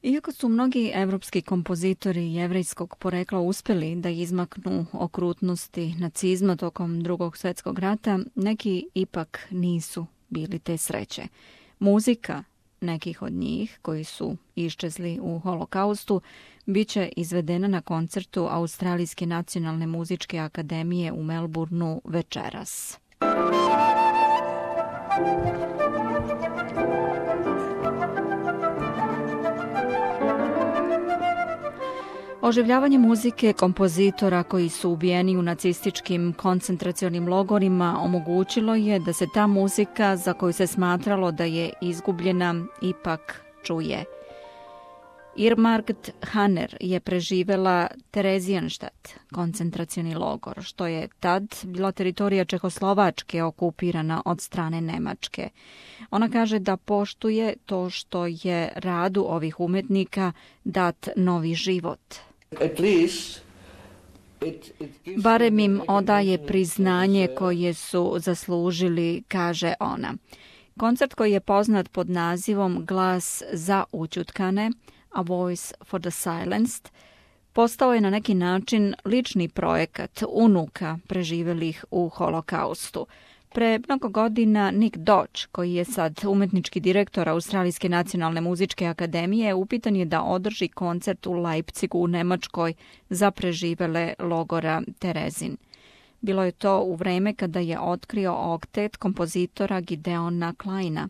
Iako su mnogi evropski kompozitori jevrejskog porekla uspjeli da izmaknu okrutnosti nacizma tokom Drugog svjetskog rata, neki ipak nisu bili te sreće. Muzika nekih od njih koji su iščezli u holokaustu bit će izvedena na koncertu Australijske nacionalne muzičke akademije u Melbourneu večeras. Oživljavanje muzike kompozitora koji su ubijeni u nacističkim koncentracionim logorima omogućilo je da se ta muzika za koju se smatralo da je izgubljena ipak čuje. Irmgard Haner je preživela Theresienstadt, koncentracioni logor, što je tad bila teritorija Čehoslovačke okupirana od strane Nemačke. Ona kaže da poštuje to što je radu ovih umetnika dat novi život. Barem im odaje priznanje koje su zaslužili, kaže ona. Koncert koji je poznat pod nazivom Glas za ućutkane, A Voice for the Silenced, postao je na neki način lični projekat unuka preživjelih u holokaustu. Pre mnogo godina Nick Dodge, koji je sad umetnički direktor Australijske nacionalne muzičke akademije, upitan je da održi koncert u Leipzigu u Nemačkoj za preživele logora Terezin. Bilo je to u vreme kada je otkrio oktet kompozitora Gideona Kleina.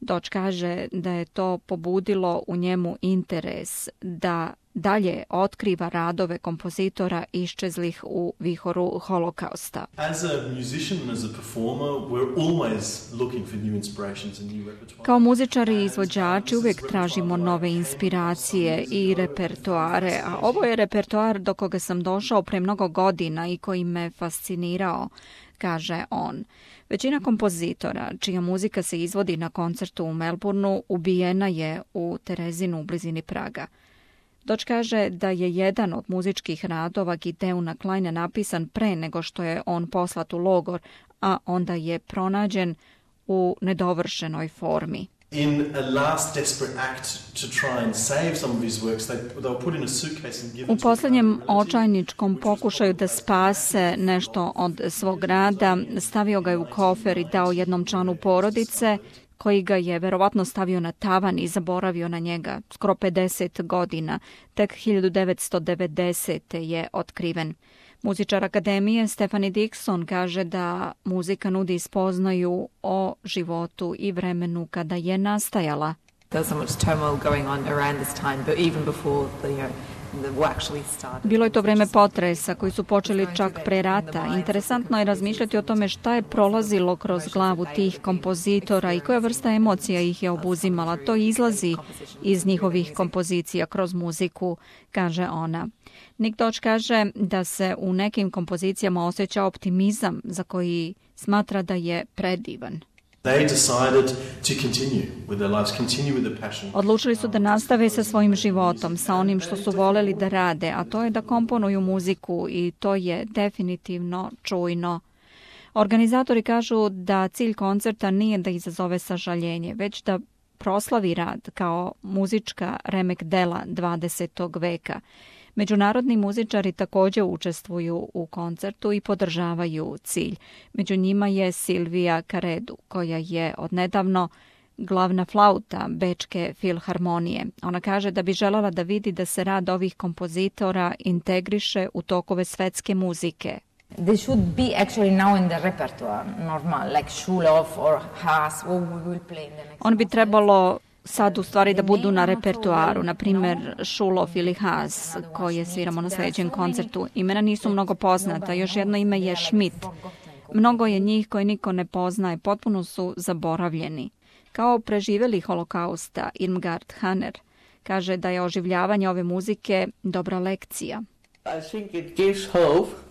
Dodge kaže da je to pobudilo u njemu interes da dalje otkriva radove kompozitora iščezlih u vihoru holokausta. Kao muzičari i izvođači uvijek tražimo nove inspiracije i repertoare, a ovo je repertoar do koga sam došao pre mnogo godina i koji me fascinirao, kaže on. Većina kompozitora, čija muzika se izvodi na koncertu u Melbourneu, ubijena je u Terezinu u blizini Praga. Dodge kaže da je jedan od muzičkih radova Gideona Kleina napisan pre nego što je on poslat u logor, a onda je pronađen u nedovršenoj formi. In a last desperate act to try and save some of his works, they were put in a suitcase and given. U posljednjem očajničkom pokušaju da spase nešto od svog rada, stavio ga je u kofer i dao jednom članu porodice, koji ga je verovatno stavio na tavan i zaboravio na njega skoro 50 godina. Tek 1990. je otkriven. Muzičar akademije Stephanie Dixon kaže da muzika nudi spoznaju o životu i vremenu kada je nastajala. Bilo je to vreme potresa koji su počeli čak pre rata. Interesantno je razmišljati o tome šta je prolazilo kroz glavu tih kompozitora i koja vrsta emocija ih je obuzimala. To izlazi iz njihovih kompozicija kroz muziku, kaže ona. Nick Dodge kaže da se u nekim kompozicijama osjeća optimizam za koji smatra da je predivan. Odlučili su da nastave sa svojim životom, sa onim što su voleli da rade, a to je da komponuju muziku i to je definitivno čujno. Organizatori kažu da cilj koncerta nije da izazove sažaljenje, već da proslavi rad kao muzička remek dela 20. veka. Međunarodni muzičari također učestvuju u koncertu i podržavaju cilj. Među njima je Silvija Karedu, koja je odnedavno glavna flauta Bečke filharmonije. Ona kaže da bi željela da vidi da se rad ovih kompozitora integriše u tokove svetske muzike. They should be actually now in the repertoire, normal, like Schulhoff or Haas, or we will play in the next. On bi trebalo sad u stvari da budu na repertuaru, na primjer Schulhoff ili Haas, koje sviramo na sljedećem koncertu. Imena nisu mnogo poznata, još jedno ime je Schmidt. Mnogo je njih koje niko ne poznaje, potpuno su zaboravljeni. Kao preživjeli holokausta, Irmgard Haner kaže da je oživljavanje ove muzike dobra lekcija. I think it gives hope.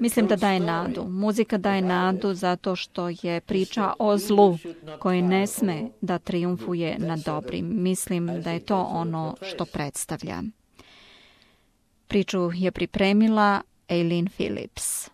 Mislim da daje nadu. Muzika daje nadu zato što je priča o zlu koje ne sme da trijumfuje nad dobrim. Mislim da je to ono što predstavlja. Priču je pripremila Eileen Phillips.